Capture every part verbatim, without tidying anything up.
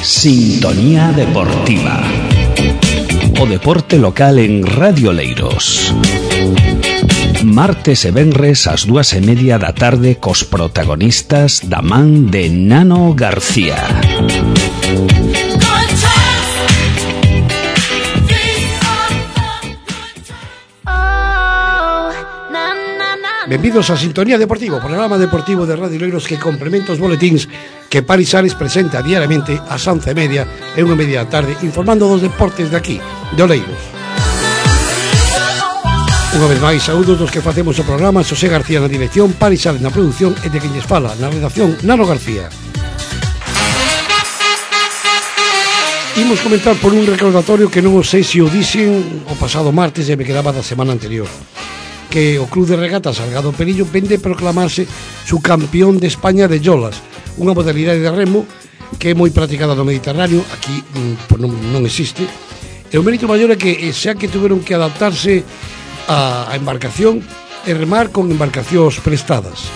Sintonía Deportiva. O deporte local en Radio Oleiros. Martes e venres ás dúas e media da tarde cos protagonistas da man de Nano García. Benvidos a Sintonía Deportiva, programa deportivo de Radio Oleiros que complementa os boletíns que Paris Sales presenta diariamente ás once e media e unha media da tarde, informando dos deportes de aquí, de Oleiros. Unha vez máis, saúdos dos que facemos o programa: Xosé García na dirección, Paris Sales na produción e de quen lles fala na redacción, Nano García. Imos comentar por un recordatorio que non sei se o dixen o pasado martes e me quedaba da semana anterior, que o Club de Regatas Salgado Perillo vende proclamarse su campeón de España de yolas, unha modalidade de remo que é moi practicada no Mediterráneo, aquí pues, non, non existe, e o mérito maior é que xa que tuveron que adaptarse a, a embarcación e remar con embarcacións prestadas.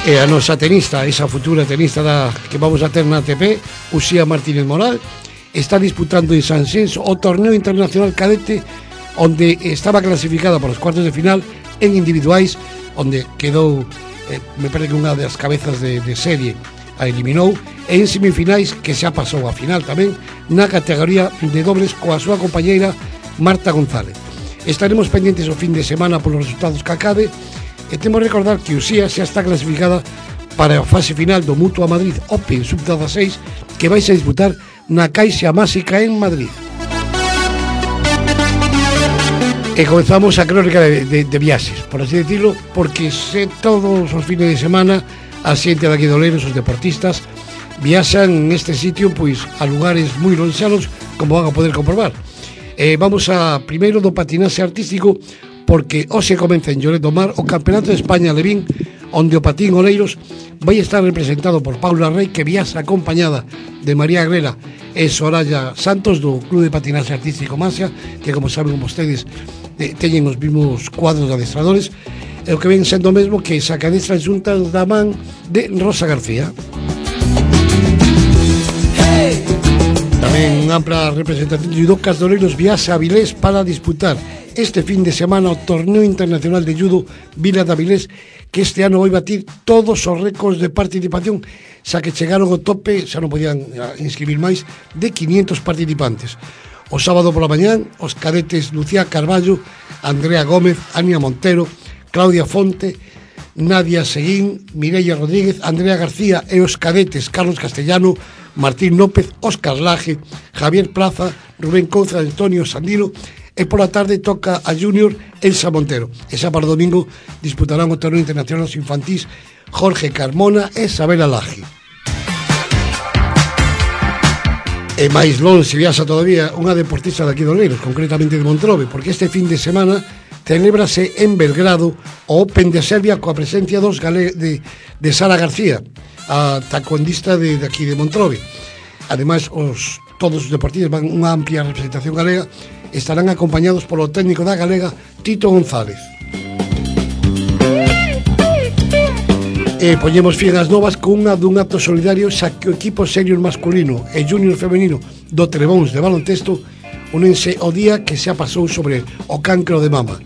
E a nosa tenista, esa futura tenista da, que vamos a ter na A T P, Uxía Martínez Moral, está disputando en Sanxenxo o torneo internacional cadete, onde estaba clasificada para os cuartos de final en individuais, onde quedou, eh, me parece que unha das cabezas de, de serie a eliminou, e en semifinais que xa pasou a final tamén na categoría de dobles coa súa compañeira Marta González. Estaremos pendentes o fin de semana polos resultados que acabe, e temos que recordar que Uxía xa está clasificada para a fase final do Mutua Madrid Open sub dieciséis, que vais a disputar na Caixa Máxica en Madrid. E comenzamos a crónica de, de, de viaxes, por así decirlo, porque se todos os fines de semana a xente daqui de Oleiros, os deportistas, viaxan neste sitio pois a lugares moi lonxanos, como van a poder comprobar. E vamos a primeiro do patinaxe artístico, porque hoxe comeza en Lloret do Mar o Campeonato de España Levín, onde o patín Oleiros vai estar representado por Paula Rey, que viaxa acompañada de María Agrela e Soraya Santos do Club de Patinaxe Artístico Masia, que como saben vostedes teñen os mesmos cuadros de adestradores, e o que ven sendo o mesmo que sacadestras xuntas da man de Rosa García. Hey! Tamén unha ampla representación de judocas de Oleiros viaxa a Avilés para disputar este fin de semana o Torneo Internacional de Judo Vila de Avilés, que este ano vai batir todos os récords de participación, xa que chegaron ao tope, xa non podían inscribir máis, de quinientos participantes. O sábado pola mañán, os cadetes Lucía Carballo, Andrea Gómez, Ania Montero, Claudia Fonte, Nadia Seguín, Mireia Rodríguez, Andrea García e os cadetes Carlos Castellano, Martín López, Óscar Laje, Javier Plaza, Rubén Couza, Antonio Sandino, e pola tarde toca a Júnior Elsa Montero. E xa para o domingo disputarán o torneo internacional infantís Jorge Carmona e Isabela Laje. E máis longe viaxa todavía unha deportista daqui de Oleiros, concretamente de Montrobe, porque este fin de semana celébrase en Belgrado o Open de Serbia coa presencia dos gale- de, de Sara García, a taekwondista de, de aquí de Montrobe. Ademais, os, todos os deportistas van unha amplia representación galega, estarán acompañados polo técnico da galega Tito González. E poñemos fin ás novas con unha dun acto solidario, xa que o equipo senior masculino e junior femenino do Trebóns de baloncesto únense o día que xa pasou sobre o cancro de mama.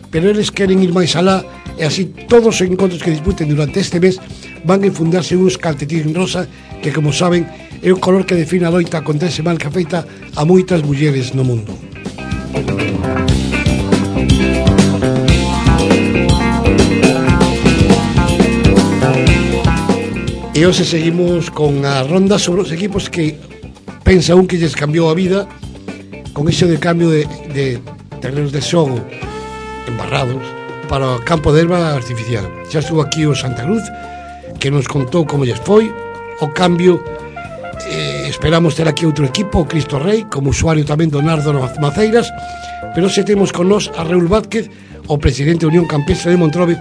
Pero eles queren ir máis alá, e así todos os encontros que disputen durante este mes van a infundarse uns calcetín rosa, que como saben é o color que define a loita contra ese mal que afecta a moitas mulleres no mundo. E hoxe seguimos con a ronda sobre os equipos que pensa un que lles cambiou a vida con ese de cambio de, de terrenos de xogo embarrados para o campo de erva artificial. Xa estuvo aquí o Santa Cruz, que nos contou como lles foi o cambio. Eh, esperamos ter aquí outro equipo, o Cristo Rei, como usuario tamén do Nardo Maceiras, pero se temos con nós a Raúl Vázquez, o presidente da Unión Campestre de Montrobe,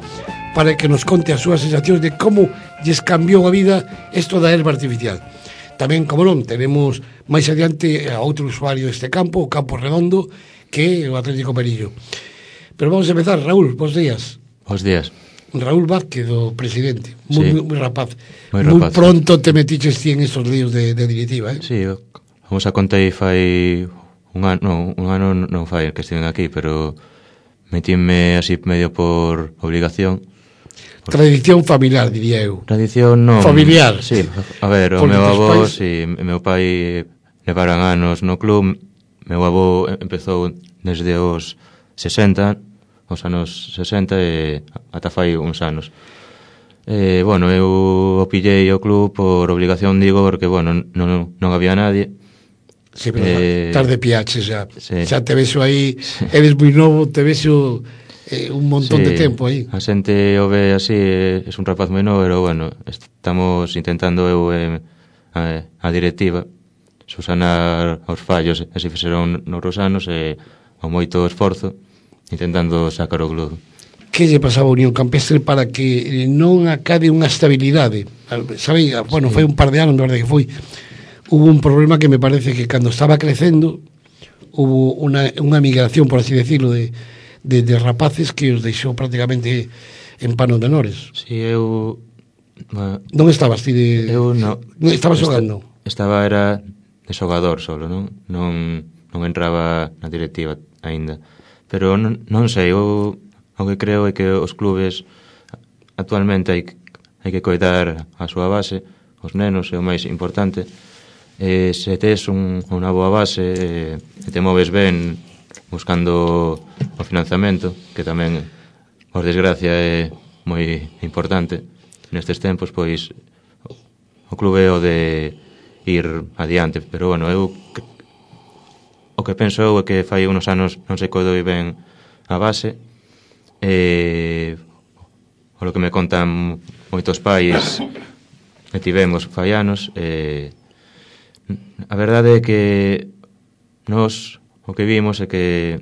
para que nos conte as súas sensacións de como lles cambiou a vida isto da erva artificial. Tamén, como non, tenemos máis adiante a outro usuario deste campo, o Campo Redondo, que é o Atlético Perillo. Pero vamos a empezar, Raúl, bons días. Bons días. Raúl Vázquez, o presidente, moi, sí. moi rapaz. Moi Moi rapaz, pronto te metiches ti en esos líos de, de directiva, eh? Sí, como xa contei fai un ano, non, un ano non fai que estiven aquí, pero metíme así medio por obligación. Por... Tradición familiar, diría eu. Tradición non... Familiar. Sí, a ver, o Porque meu avó, pais... si, meu pai levaran anos no club, meu avó empezou desde os sesenta, os anos sesenta e ata fai uns anos. Eh, bueno, eu o pillei o club por obligación, digo, porque, bueno, non, non había nadie. Sí, pero eh, tarde piaches xa. Sí. Xa te vexo aí, sí. Eres moi novo, te vexo eh, un montón sí, de tempo aí. A xente o ve así, é un rapaz moi novo, pero, bueno, estamos intentando eu eh, a, a directiva susanar os fallos, e se fixeron nos anos, e o moito esforzo intentando sacar o club. Que lle pasaba a Unión Campestre para que non acabe unha estabilidade? Sabe, bueno, sí. Foi un par de anos, me verdade que foi. Hubo un problema que me parece que cando estaba crecendo hubo unha, unha migración, por así decirlo, de, de, de rapaces que os deixou prácticamente en panos menores. Si, sí, eu... Uh, non estabas ti de... Eu non. Non estabas xogando? Estaba, era de xogador solo, non? Non, non entraba na directiva aínda. Pero non, non sei, eu o que creo é que os clubes actualmente hai, hai que coidar a súa base, os nenos é o máis importante. E se tes un, unha boa base e, e te moves ben buscando o financiamento, que tamén, por desgracia, é moi importante nestes tempos, pois o clube é o de ir adiante. Pero, bueno, eu o que penso eu é que fai unos anos non se coidou ben a base, e o que me contan moitos pais que tivemos fai anos, e a verdade é que nós o que vimos é que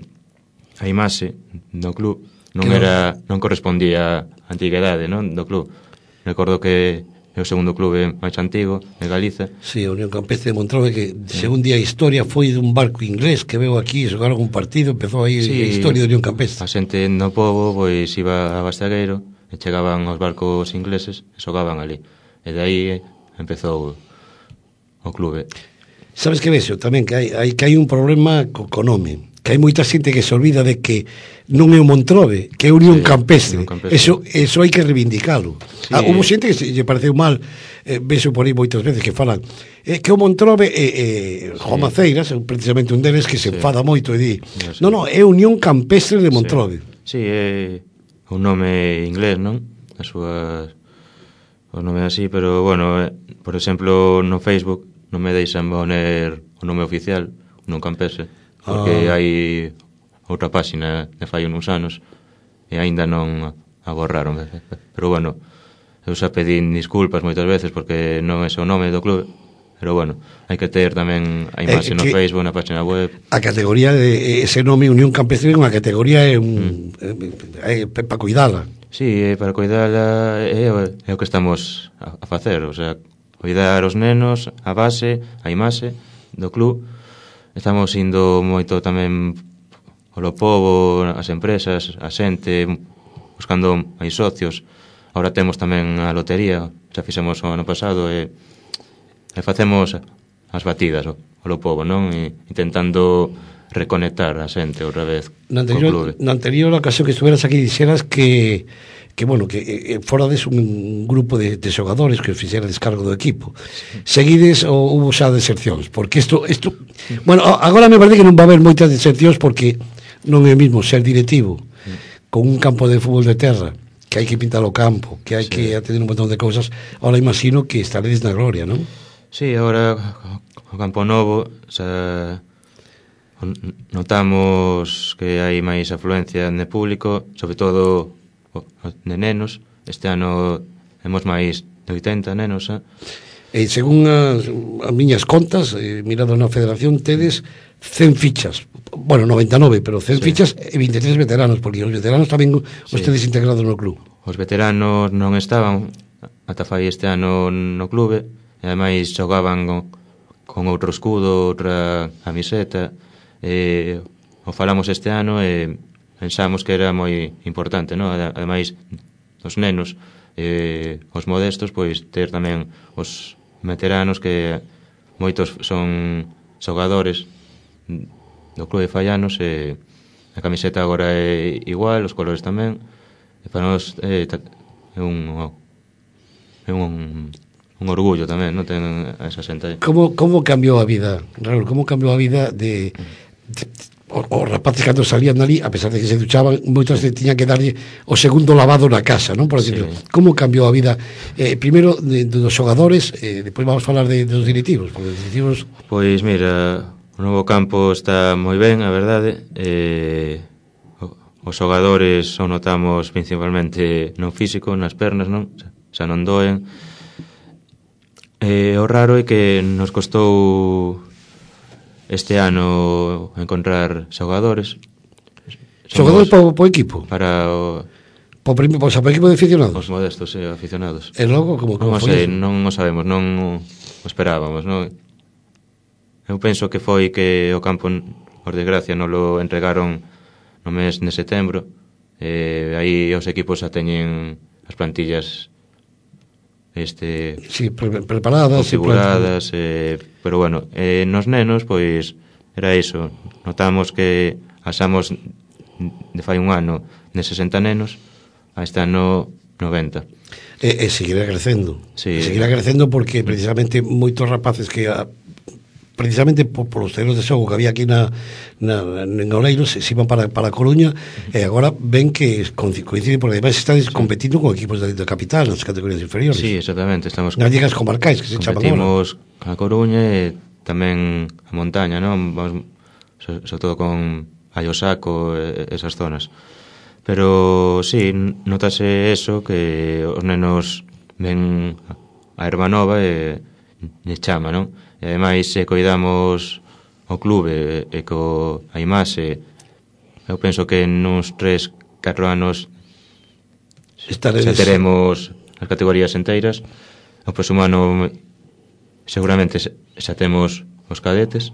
a imaxe do club non era, non correspondía á antigüedade, non, do club. Recordo que é o segundo clube máis antigo de Galiza. Sí, a Unión Campestre de Montrove, que según día a historia foi dun barco inglés que veo aquí, xogaron un partido, empezou aí sí, a historia da Unión Campestre. A xente no pobo, pois, iba a Bastagueiro e chegaban os barcos ingleses e xogaban ali. E de aí empezou o clube. Sabes que vexo tamén que hai, hai que hai un problema co, co nome, que hai moita xente que se olvida de que non é o Montrove, que é Unión sí, Campestre. Campestre. Eso eso hai que reivindicalo. Sí. Ah, hubo xente que se lle pareceu mal, eh, vexo por aí moitas veces que falan eh, que o Montrove é eh, eh, Juan sí. Maceiras, precisamente un deles que se sí. enfada moito e di, sí. non, non, é Unión Campestre de Montrove. Sí, sí, é un nome inglés, non? A súa o nome así, pero bueno, eh, por exemplo, no Facebook non me deixan poner o nome oficial, Unión Campestre, porque ah. hai outra páxina de fai uns anos e aínda non a borraron. Pero bueno, eu xa pedín disculpas moitas veces porque non é o nome do clube, pero bueno, hai que ter tamén a imaxe eh, no Facebook, na página web. A categoría de ese nome Unión Campestre é unha categoría é un mm. é, é para cuidala. Sí, é para cuidala, é, é o que estamos a, a facer, o sea, cuidar os nenos, a base, a imaxe do club. Estamos indo moito tamén polo pobo, as empresas, a xente, buscando máis socios. Ahora temos tamén a lotería, xa fixemos o ano pasado, e, e facemos as batidas polo pobo, non? E, intentando reconectar a xente outra vez na anterior, co clube. Na anterior ocasión que estuveras aquí dixeras que que bueno, que eh, fora des un grupo de, de xogadores que os fixera descargo do equipo. Seguides ou hubo xa desercións? Porque isto, isto bueno, agora me parece que non va haber moitas desercións porque non é mesmo ser directivo con un campo de fútbol de terra, que hai que pintar o campo, que hai sí. que atender un montón de cousas. Ahora imagino que estaredes na gloria, non? Sí, agora o campo novo xa notamos que hai máis afluencia de público, sobre todo de nenos. Este ano temos máis de oitenta nenos, eh? E según as, as miñas contas, eh, mirado na federación, tedes cen fichas, bueno, noventa e nove, pero cen sí. fichas e vinte e tres veteranos, porque os veteranos tamén os sí. tedes integrados no club. Os veteranos non estaban ata fai este ano no clube, e ademais xogaban con, con outro escudo, outra camiseta, e o falamos este ano e pensamos que era moi importante, non? Ademais, os nenos, eh, os modestos, pois ter tamén os veteranos que moitos son xogadores do clube de Fallanos, e a camiseta agora é igual, os colores tamén, e para nós é, é un é un un orgullo tamén, non ten esa xente aí. Como, como cambiou a vida, Raúl, como cambiou a vida de, de os, os rapaces cando salían ali, a pesar de que se duchaban, moitos tiñan que darlle o segundo lavado na casa, non? Por decirlo. Sí. Como cambiou a vida, eh, primeiro de, de dos xogadores, eh, depois vamos falar de, de dos directivos, porque os directivos... Pois mira, o novo campo está moi ben, a verdade, eh, os xogadores o notamos principalmente no físico, nas pernas, non? Xa non doen. Eh, o raro é que nos costou este ano encontrar xogadores. Xogadores para o equipo? Para o... Para o, para o equipo de aficionados? Os modestos, sí, aficionados. E logo, como, como non foi? Sei, non o sabemos, non o esperábamos, non? Eu penso que foi que o campo, por desgracia, non lo entregaron no mes de setembro. Eh, aí os equipos xa teñen as plantillas este sí, pre preparadas, configuradas, eh, pero bueno, eh, nos nenos pois era iso, notamos que pasamos de fai un ano de sesenta nenos a este ano noventa. E, e seguirá crecendo, sí. E seguirá crecendo porque precisamente moitos rapaces que a, precisamente por, por os terrenos de xogo que había aquí na, na, en Oleiros se iban para, para a Coruña, e agora ven que coinciden, porque ademais estades competindo con equipos da, da capital nas categorías inferiores. Sí, exactamente, estamos nas ligas comarcais que se chaman agora. Competimos a Coruña e tamén a montaña, non? Vamos, sobre so todo con Ayosaco e esas zonas. Pero sí, notase eso, que os nenos ven a erva nova e lle chama, non? E ademais, se coidamos o clube e co a imaxe, eu penso que nuns tres, catro anos Estaredes... xa teremos as categorías enteiras. O próximo ano seguramente xa temos os cadetes.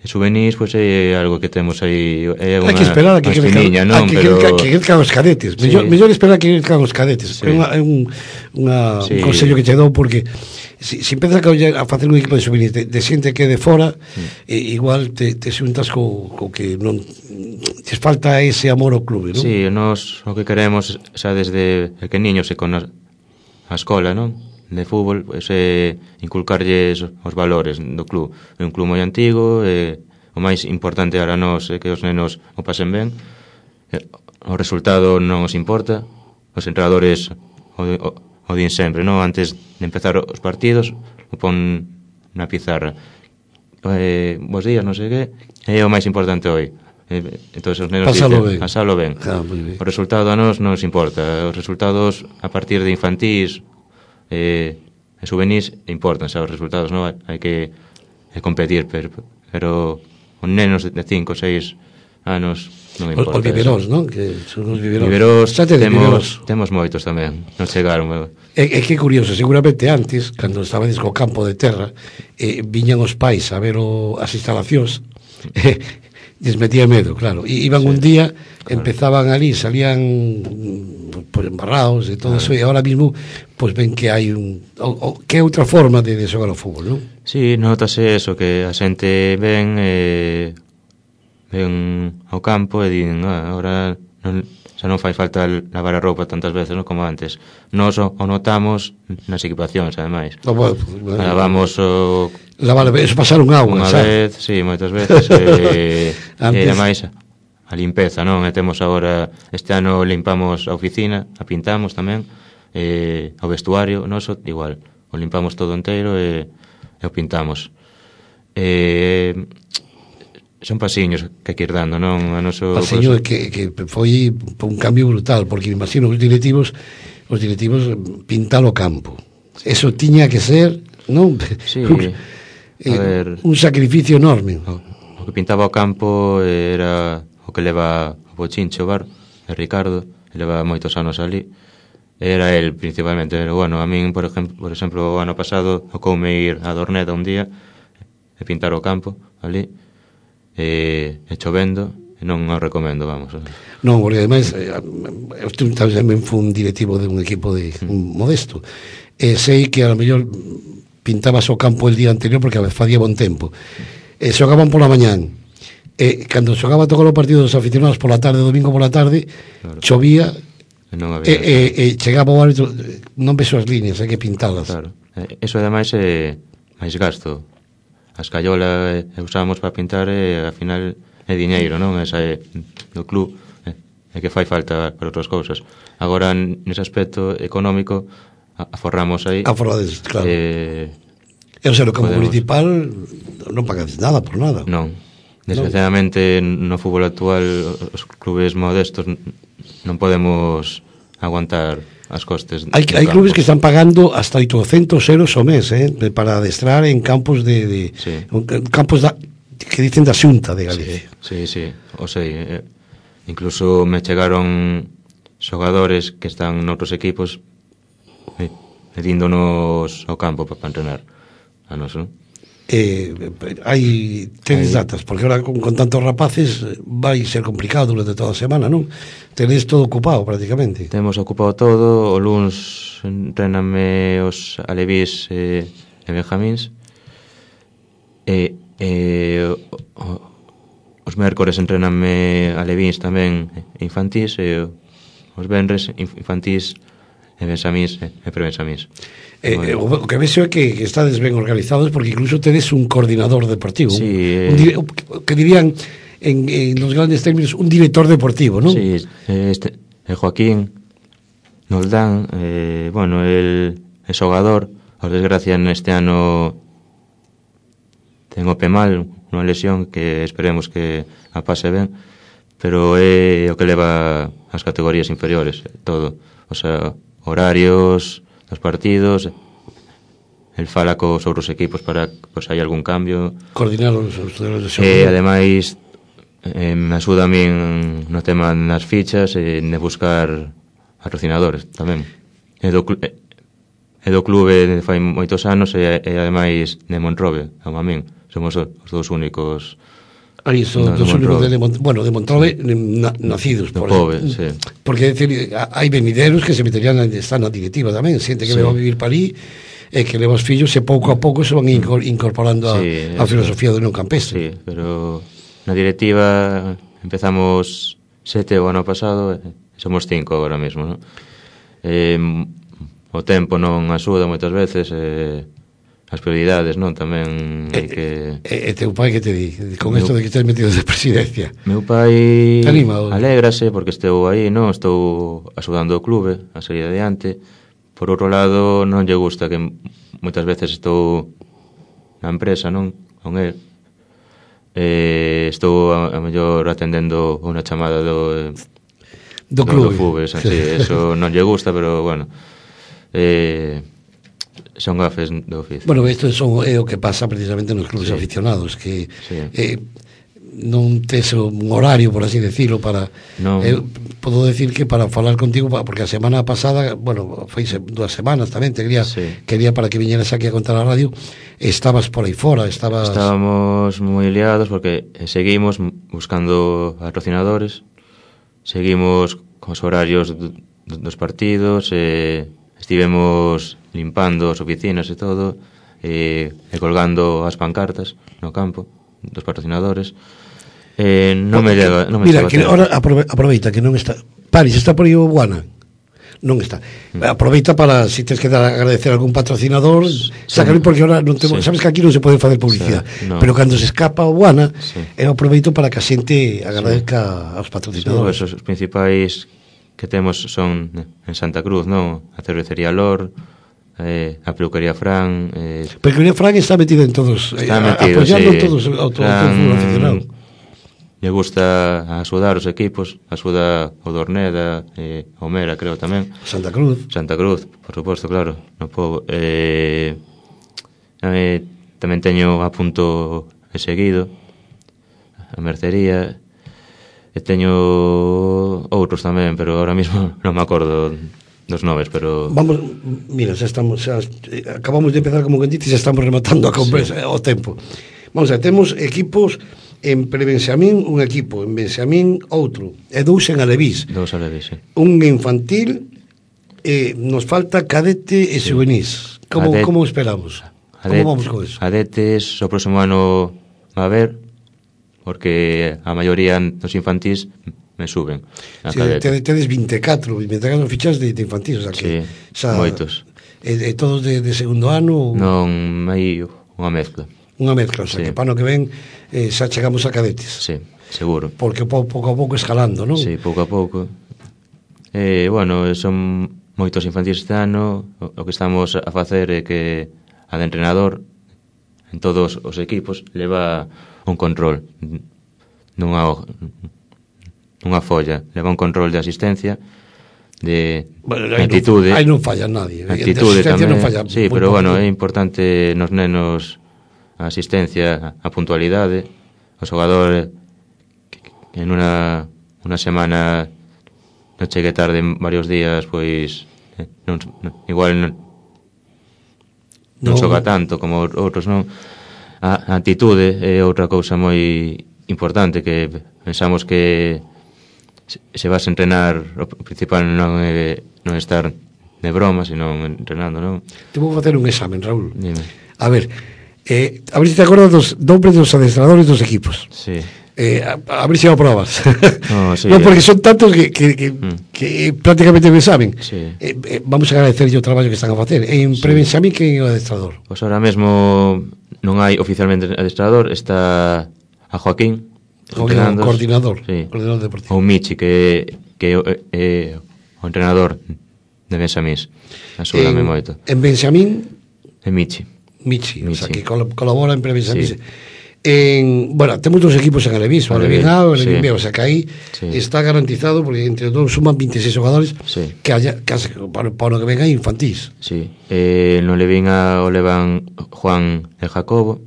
E juvenis, pois pues, é algo que temos aí, é unha, hai que esperar a que espiniña, non? Que, Pero... que, que crezcan os cadetes. Sí. Mellor, mellor esperar a que crezcan os cadetes. Sí. É, unha, é un, unha, sí. un consello que che dou, porque se si, si empezas a, a facer un equipo de juvenis de, de xente que de fora, mm. eh, igual te, te xuntas co, co que non te falta ese amor ao clube, non? Sí, nós o que queremos xa desde pequeniños e con a, a escola, non? De fútbol, pois, é inculcarlles os valores do club. É un club moi antigo, e o máis importante para nós é que os nenos o pasen ben. O resultado non os importa. Os entrenadores o, o, o din sempre, non? Antes de empezar os partidos, o pon na pizarra. Eh, bos días, non sei que, é o máis importante hoy. Entón os nenos pasalo dicen, ben. pasalo ben. Ah, o resultado a nós non nos importa. Os resultados a partir de infantís eh, e juvenis importan, xa, os resultados, non? Hai que eh, competir, pero, pero os nenos de cinco, seis anos non importa. Os viveros, non? Que son os viveros. Viveros, temos, viveros. temos moitos tamén, non chegaron. É, é que curioso, seguramente antes, cando estabades co campo de terra, eh, viñan os pais a ver o, as instalacións, eh, les metía medo, claro. I, iban sí, un día, claro. Empezaban ali, salían pues, embarrados e todo claro. Eso, e ahora mismo pues ven que hai un o, o, que é outra forma de, de xogar ao fútbol, non? Sí, notase eso, que a xente ven eh, ven ao campo e din, ah, ahora non, xa non fai falta lavar a roupa tantas veces, non, como antes. Nós o, o notamos nas equipacións, ademais. No, bueno, pues, lavamos o... Lavar, eso pasaron agua, unha xa. vez, sí, moitas veces, e, e ademais a limpeza, non? E temos agora, este ano limpamos a oficina, a pintamos tamén, e o vestuario noso igual, o limpamos todo inteiro e, e o pintamos. E son pasiños que hai que ir dando, non? A noso pasiño que, que foi un cambio brutal, porque imagino os directivos os directivos pintar o campo, eso tiña que ser, non? Sí, un, a ver, un sacrificio enorme. O, o que pintaba o campo era o que leva o Bochincho Bar, de Ricardo, e leva moitos anos ali. Era el principalmente, pero bueno, a min, por exemplo, por exemplo, o ano pasado tocoume ir a Dorneda un día e pintar o campo ali, e, e chovendo, non o recomendo, vamos. Non, porque ademais eh, eu tamén fui un directivo de un equipo de un modesto e sei que a lo mellor pintabas o campo el día anterior porque facía bon tempo e xogaban pola mañán e cando xogaba todos os partidos dos aficionados pola tarde, domingo pola tarde, claro, chovía e, non había e, e, e chegaba o árbitro, non vexo as líneas, hai que pintalas. Claro, eso ademais é máis gasto. As callolas e usamos para pintar e ao final é diñeiro, non? Esa é do club, é, é que fai falta para outras cousas. Agora, nese aspecto económico, aforramos aí. Aforrades, claro. Eh, e o sea, o campo municipal non pagades nada por nada. Non. Desgraciadamente, no fútbol actual, os clubes modestos non podemos aguantar as costes. Hai, hai clubes que están pagando hasta oitocentos euros ao mes, eh, para adestrar en campos de, de sí. campos da, que dicen da Xunta de Galicia. Sí, sí, sí, o sei, eh, incluso me chegaron xogadores que están noutros equipos eh, pedíndonos ao campo para entrenar a nos, non? Eh, hai tedes datas, porque ahora con, con tantos rapaces vai ser complicado durante toda a semana, non? Tedes todo ocupado prácticamente. Temos ocupado todo, o luns entrename os alevís e, e benjamíns e, e o, os mércores entrename alevís tamén e infantís e os venres infantís e benxamíns e prebenxamíns. Eh, eh, o que vexo é que, que estades ben organizados porque incluso tedes un coordinador deportivo, sí, un, un, un, que dirían en, en los grandes términos un director deportivo, non? Sí, este, el Joaquín nos dan, eh, bueno, el, el xogador, por desgracia neste ano ten o pé mal, unha lesión que esperemos que a pase ben, pero é o que leva as categorías inferiores, todo, o sea, horarios dos partidos, el fala cos outros equipos para pues, hai algún cambio, coordinar os outros e ademais eh, me axuda a min no tema nas fichas e de buscar patrocinadores tamén e do, e do clube fai moitos anos e, e ademais de Monrobe, como a min somos os dous únicos. Aí son no, dos únicos de, Mont bueno, de Montrobe na, nacidos por Pove, sí. Porque decir, hai venideros que se meterían están na directiva tamén, xente que sí. va a vivir para aí e que leva os fillos e pouco a pouco se van incorporando sí, a, a filosofía do non campestre. Sí, pero na directiva empezamos sete o ano pasado e somos cinco agora mesmo, non? Eh, o tempo non axuda moitas veces e as prioridades, non? Tamén hai que... E, e teu pai que te di? Con isto de que estés metido de presidencia. Meu pai anima, alégrase porque estou aí, non? Estou axudando o clube a salir adiante. Por outro lado, non lle gusta que moitas veces estou na empresa, non? Con el. E estou a, a mellor atendendo unha chamada do... Do clube. Do Fubes, así, eso non lle gusta, pero, bueno... Eh... son gafes do oficio. Bueno, isto son, é o que pasa precisamente nos clubes sí. aficionados, que sí. eh, non tes un horario, por así decirlo, para... No. Eh, podo decir que para falar contigo, porque a semana pasada, bueno, foi dúas semanas tamén, te quería, sí. quería para que viñeras aquí a contar a radio, estabas por aí fora, estabas... Estábamos moi liados porque seguimos buscando patrocinadores, seguimos cos horarios dos partidos, e estivemos limpando as oficinas e todo, e, e colgando as pancartas no campo dos patrocinadores. Eh, non me llega, non me Mira, que ahora aprove, aproveita que non está Paris, está por aí o Guana? Non está. Mm. Aproveita para, se si tens que dar agradecer a algún patrocinador, sí. Sácalo, porque ahora non temos, sí. Sabes que aquí non se pode facer publicidade, sí, no. Pero cando se escapa o Guana, sí. Eu aproveito para que a xente agradezca sí. aos patrocinadores. Sí, os principais que temos son en Santa Cruz, non? A cervecería Lor, eh, a peluquería Fran, eh, a peluquería Fran está metida en todos, está eh, metido, apoyando sí. todos o todo o fútbol aficionado. Le gusta axudar os equipos, axuda o Dorneda, eh, o Mera, creo tamén. Santa Cruz. Santa Cruz, por suposto, claro, no pobo. Eh, eh, tamén teño a punto e seguido a mercería. E teño outros tamén, pero ahora mismo non me acordo dos noves, pero... Vamos, mira, xa estamos, xa, acabamos de empezar como que dices, xa estamos rematando a conversa, sí. O tempo. Vamos a ver, temos equipos en pre-Benxamín un equipo, en Benxamín outro, e dous en Alevís. Dous Alevís, sí. Un infantil, eh, nos falta cadete e sí. Juvenís. Como, Adet, como esperamos? Adet, como vamos con eso? Adetes o próximo ano va a haber, porque a maioría dos infantís me suben a sí, cadete. Tedes vinte e catro, vinte e catro fichas de, de infantil, o sea que... Sí, xa, moitos. E, e todos de, de segundo ano? Non, hai unha mezcla. Unha mezcla, o sea, sí. que para no que ven eh, xa chegamos a cadetes. Sí, seguro. Porque po, pouco a pouco escalando, non? Sí, pouco a pouco. Eh, bueno, son moitos infantís este ano. O, o que estamos a facer é que a de entrenador en todos os equipos leva un control nunha nunha folla, leva un control de asistencia, de bueno, actitude. Non, aí non falla nadie. Actitude tamén. Non falla, sí, pero bueno, é importante nos nenos a asistencia, a puntualidade. O xogador que en unha unha semana non chegue tarde en varios días, pois non, non, igual non, non no. xoga tanto como outros, non? A, a actitude é outra cousa moi importante, que pensamos que se vas a entrenar, o principal non é non estar de broma, sino entrenando, non? Te vou facer un examen, Raúl. Dime. A ver, eh, a ver se te acordas dos nombres dos adestradores dos equipos. Sí. Eh, a, a ver se o aprobas. No, sí, no, porque son tantos que, que, que, mm. que prácticamente me saben. Sí. Eh, eh, vamos a agradecer o traballo que están a facer. En sí. Pre-Benxamín, que é o adestrador? Pois ahora mesmo non hai oficialmente adestrador, está a Joaquín, Joaquín, coordinador, sí. coordinador deportivo. O Michi, que, que é o entrenador de Benxamís. Asúdame moito. En Benxamín? É Michi. Michi, Michi. o sea, que col colabora en Pre-Benxamín. Sí. En, bueno, temos dos equipos en Alevís, o Alevín A o Alevín B, o sea que aí sí. está garantizado, porque entre todos suman vinte e seis xogadores, sí. que haya, case, para, para o que venga infantís. Sí, eh, no Alevín A o levan Juan e Jacobo.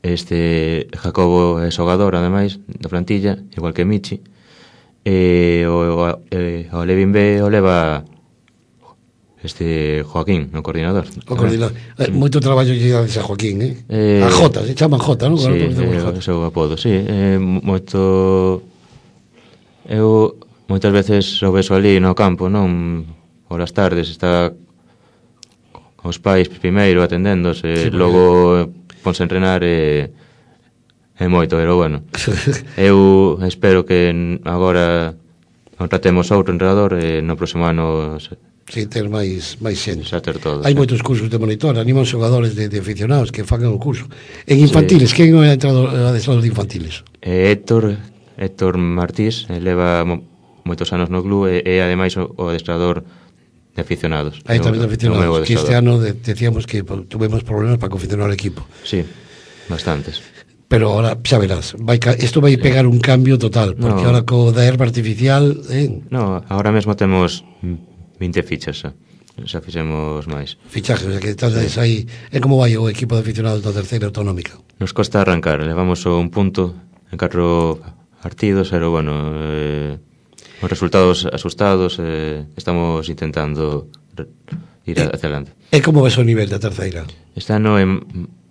Este Jacobo é xogador, ademais, da plantilla, igual que Michi. E o, o, eh, o Alevín B o leva este Joaquín, o coordinador. O coordinador. Eh, moito traballo lle dades a Joaquín, eh? eh a Jota, se chaman Jota, non? Sí, é o seu apodo, sí. Eh, moito... Eu moitas veces o veso ali no campo, non? Polas tardes está os pais primeiro atendéndose, sí, logo ponse a entrenar e é moito, pero bueno. Eu espero que agora contratemos outro entrenador e no próximo ano se, sí, ter máis máis xente. Xa ter todo. Hai sí. moitos cursos de monitor, animan xogadores de, de aficionados que fagan o curso. En infantiles, sí. quen é o adestrador de infantiles? É Héctor, Héctor Martís, leva mo, moitos anos no club e é ademais o, o adestrador de aficionados. Aí tamén de aficionados, que este ano de, decíamos que tuvemos problemas para confeccionar o equipo. Sí, bastantes. Pero ahora, xa verás, vai, isto vai pegar un cambio total, porque no. ahora co da herba artificial... Eh? No, ahora mesmo temos vinte fichas, xa, xa fixemos máis. Fichajes, o sea que estás sí. aí... É como vai o equipo de aficionados da terceira autonómica? Nos costa arrancar, levamos un punto en catro partidos, pero bueno... Eh, os resultados asustados, eh, estamos intentando ir e, hacia adelante. E como ves o nivel da terceira? Este ano é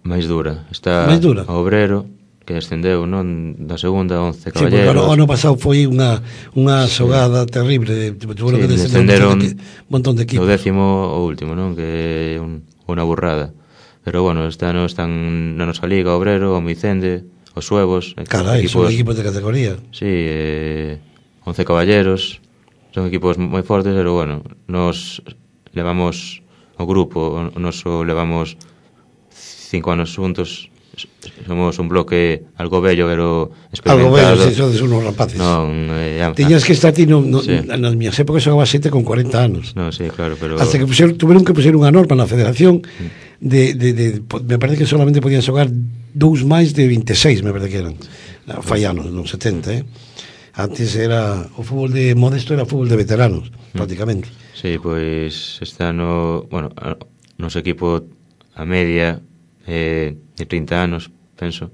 máis dura. Está máis dura? O Obrero, que ascendeu, non? Da segunda, once Caballeros. Sí, porque o ano pasado foi unha unha xogada sí. terrible. Tuvo sí, que descenderon un montón de equipos. O décimo o último, non? Que é un, unha burrada. Pero bueno, este ano están na nosa liga, o Obrero, o Micende, os Suevos. Carai, equipos, son equipos de categoría. Sí, eh... once Caballeros, son equipos moi fortes, pero bueno, nos levamos o grupo, o noso levamos cinco anos xuntos, somos un bloque algo bello, pero experimentado. Algo bello, si sodes unos rapaces. Non, eh, ya, Tiñas que estar ti, no, no, sí. nas miñas épocas xogaba sete con cuarenta anos. No, sí, claro, pero... Hasta que pusieron, tuvieron que puser unha norma na federación de, de, de, me parece que solamente podían xogar dous máis de vinte e seis, me parece que eran. Fallanos, non setenta, eh? Antes era o fútbol de modesto, era fútbol de veteranos, mm. prácticamente. Sí, pois este ano, bueno, a, noso equipo a media é de trinta anos, penso.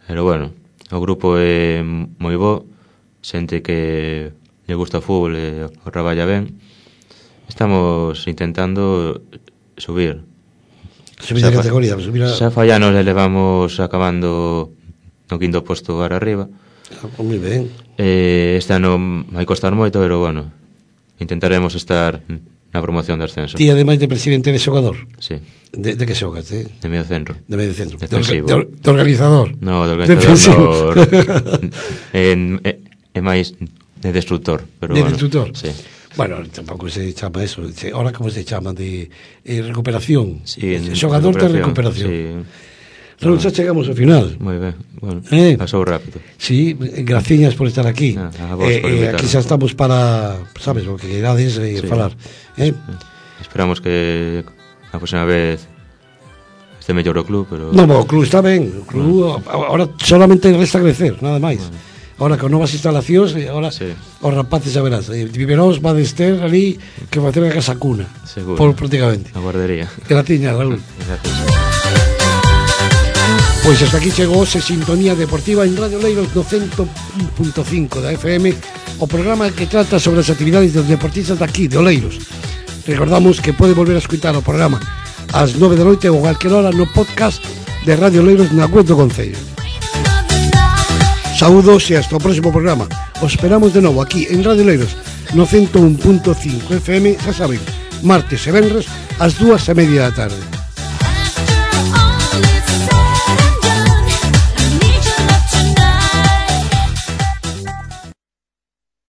Pero bueno, o grupo é moi bo, xente que lle gusta o fútbol e o traballa ben. Estamos intentando subir. Subir de categoría, subir a... Xa fallanos e levamos acabando no quinto posto para arriba. Ah, moi ben. Eh, este ano vai costar moito, pero bueno, intentaremos estar na promoción de ascenso. Ti, ademais de presidente de xogador? Sí. De, de que xogas, eh? De medio centro. De medio centro. De, Defensivo. de, de organizador? No, de organizador. en, é, é máis de destructor. Pero de bueno, destructor? Sí. Bueno, tampouco se chama eso. Ahora como se chama? De eh, recuperación. Sí, en xogador de recuperación. Sí. Raúl, xa chegamos ao final. Moi ben, bueno, eh, pasou rápido. Sí, graciñas por estar aquí. Ah, a vos eh, por eh, aquí xa estamos para, sabes, o que querades eh, sí. falar. Eh? Esperamos que a próxima vez este mellor o club, pero... No, o club está ben. O club, bueno. Ahora solamente resta crecer, nada máis. Bueno. Ahora con novas instalacións, ahora sí. Os rapaces xa verás. Eh, Viveróns va de ter ali que facer a casa cuna. Seguro. Por prácticamente. A guardería. Gratiñas, Raúl. Gracias. Pois hasta aquí chegou ose Sintonía Deportiva en Radio Leiros no cento un punto cinco da F M, o programa que trata sobre as actividades dos deportistas daqui, de Oleiros. Recordamos que pode volver a escutar o programa ás nove da noite ou a calquera hora no podcast de Radio Leiros na web do Concello. Saúdos e hasta o próximo programa. Os esperamos de novo aquí en Radio Leiros no cento un punto cinco F M, xa saben, martes e venres ás dúas e media da tarde.